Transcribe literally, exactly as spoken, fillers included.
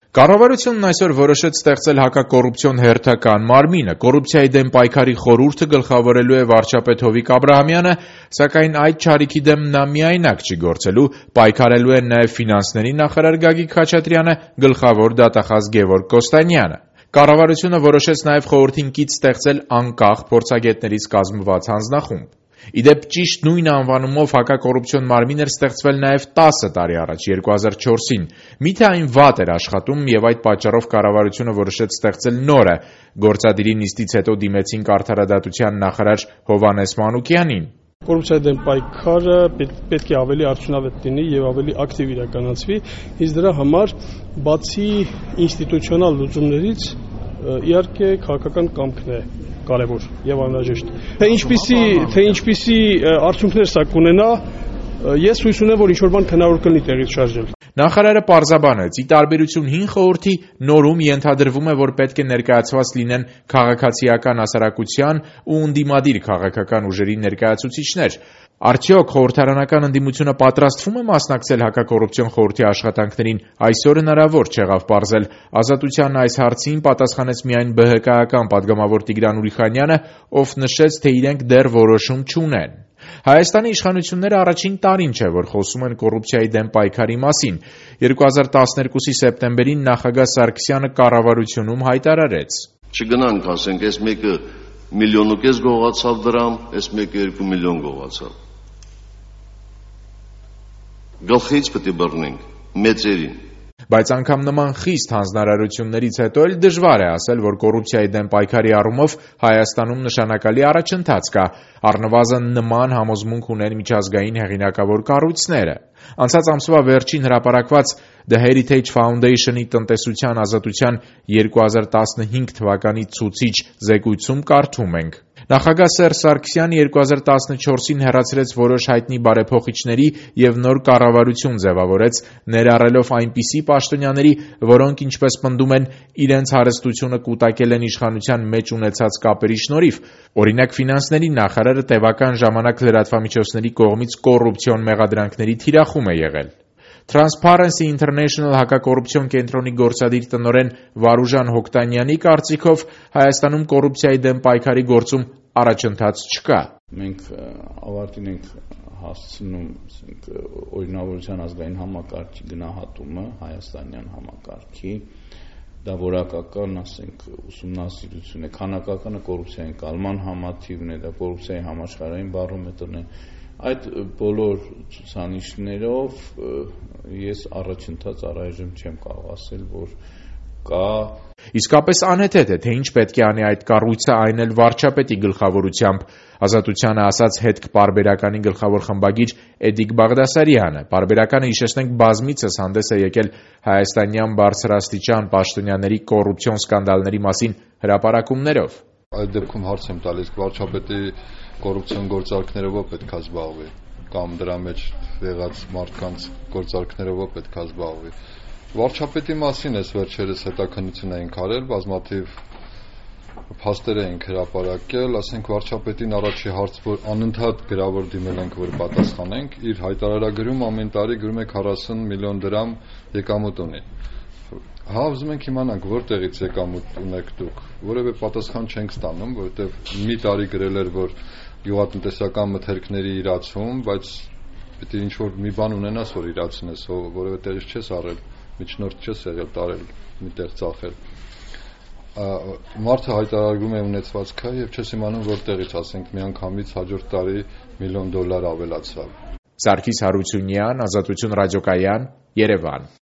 Կառավարությունն այսօր որոշեց ստեղծել հակակոռուպցիոն հերթական մարմինը։ Կոռուպցիայի դեմ պայքարի խորհուրդը գլխավորելու է վարչապետ Հովիկ Աբրահամյանը, սակայն այդ չարիքի դեմ նա միայնակ չի գործելու, պայքարելու են նաև ֆինանսների նախարար Գագիկ Խաչատրյանը, գլխավոր դատախազ Գևորգ Կոստանյանը։ Կառավարությունը որոշեց նաև խորհրդին կից ստեղծել անկախ փորձագետներից կազմված հանձնախումբ։ Ի դեպ, ճիշտ նույն անվանումով հակակոռուպցիոն մարմին էր ստեղծվել նաև տասը տարի առաջ, երկու հազար չորսին։ Միթե այն վատ էր աշխատում եւ այդ պատճառով կառավարությունը որոշեց ստեղծել նորը։ Գործադիրի նիստից հետո դիմեցինք արդարադատության նախարար Հովհաննես Մանուկյանին։ Կոռուպցիայի դեմ պայքարը պետք է ավելի արդյունավետ լինի եւ ավելի ակտիվ իրականացվի, իսկ դրա համար բացի ինստիտուցիոնալ լուծումներից իհարկե քաղաքական կամքն է կարևոր եւ անհրաժեշտ։ Թե ինչպիսի, թե ինչպիսի արդյունքներ սա կունենա, ես հույս ունեմ, որ ինչ-որ բան հնարավոր կլինի տեղից շարժել։ Նախարարը պարզաբանեց, ի տարբերություն հին խորհրդի, նորում ենթադրվում է, որ պետք է ներկայացված լինեն քաղաքացիական հասարակության ու ընդդիմադիր քաղաքական ուժերի ներկայացուցիչներ։ Արդյոք խորհրդարանական ընդդիմությունը պատրաստվում է մասնակցել հակակոռուպցիոն խորհրդի աշխատանքներին, այսօր հնարավոր չեղավ պարզել։ Ազատության այս հարցին պատասխանեց միայն Բը Հը Կայական պատգամավոր Տիգրան Ուրիխանյանը, ով նշեց, թե իրենք դեռ որոշում չունեն։ Հայաստանի իշխանությունները առաջին տարին չէ, որ խոսում են կոռուպցիայի դեմ պայքարի մասին։ երկու հազար տասներկուսի սեպտեմբերին նախագահ Սարգսյանը կառավարությունում հայտարարեց. Չգնանք, ասենք, այս մեկը միլիոն ու կես գողացավ դրամ, այս մեկը երկու միլիոն գողացավ։ Գլխից պետք է բռնենք մեծերին։ Բայց անգամ նման խիստ հանձնարարություններից հետո էլ դժվար է ասել, որ կոռուպցիայի դեմ պայքարի առումով Հայաստանում նշանակալի առաջընթաց կա, առնվազն նման համոզմունք ունեն միջազգային հեղինակավոր կառույցները։ Անցած ամսվա վերջին հրապարակված The Heritage Foundation-ի տնտեսության ազատության երկու հազար տասնհինգ թվականի ցուցիչ զեկույցում կարդում ենք. Նախագահ Սերժ Սարգսյանը երկու հազար տասնչորսին հեռացրեց որոշ հայտնի բարեփոխիչների եւ նոր կառավարություն ձևավորեց, ներառելով այնպիսի պաշտոնյաների, որոնք, ինչպես պնդում են, իրենց հարստությունը կուտակել են իշխանության մեջ ունեցած կապերի շնորհիվ։ Օրինակ, ֆինանսների նախարարը տևական ժամանակ լրատվամիջոցների կողմից կոռուպցիոն մեղադրանքների թիրախում է եղել։ Transparency International հակակոռուպցիոն կենտրոնի գործադիր տնօրեն Վարուժան Հոկտանյանի կարծիքով Հայաստանում կոռուպցիայի դեմ պայքարի գործում առաջընթաց չկա։ Մենք ավարտին ենք հասցնում օրինավորության ազգային համակարգի գնահատումը հայաստանյան համակարգի, դա որակական, ասենք, ուսումնասիրություն է, քանակականը կոռուպցիայի կալման համաթիվն է, դա կոռուպցիայի համաշխարհային բարոմետրն է։ Այդ բոլոր ցուցանիշներով ես առաջընթաց առայժմ չեմ կարող ասել, որ կա։ Իսկապես անհեթեթ է, թե ինչ պետք է անի այդ կառույցը, այն էլ վարչապետի գլխավորությամբ։ Ազատությանը ասաց հետք պարբերականի գլխավոր խմբագիր Էդիկ Բաղդասարյանը։ Պարբերականը, հիշեցնենք, բազմիցս հանդես է եկել հայաստանյան բարձրաստիճան պաշտոնյաների կոռուպցիոն սկանդալների մասին հրապարակումներով։ Այդ դեպքում հարց եմ տալիս, վարչապետի կոռուպցիոն գործարքներով պետք է զբաղվի, կամ դրա մեջ եղած մարդկանց գործարքներով պետք է զբաղվի։ Վարչապետի մասին էս վերջերս հետաքննություն էինք արել, բազմաթիվ փաստեր էինք հրապարակել, ասենք վարչապետին առաջի հարց, որ անընդհատ գրավոր դիմել ենք, որ պատասխանենք, իր հայտարարագրում ամեն տարի գրում է քառասուն միլիոն դրամ եկամուտ ունի։ Հա, ուզում ենք իմանանք, որտեղից եկամուտ ունեք դուք, որևէ պատասխան չենք ստանում, որովհետև մի տարի գրել էր, որ գյուղատնտեսական մթերքների իրացում, բայց պետք է ինչ-որ մի բան ունենաս, որ իրացնես, որևէ տեղից չես առել, միջնորդ չես եղել տարել, միտեղ ծախել։ Մարդը հայտարարում է ունեցվածքը եւ չես իմանում որտեղից, ասենք, միանգամից հաջորդ տարի միլիոն դոլար ավելացավ։ Սարգիս Հարությունյան, Ազատություն ռադիոկայան, Երևան։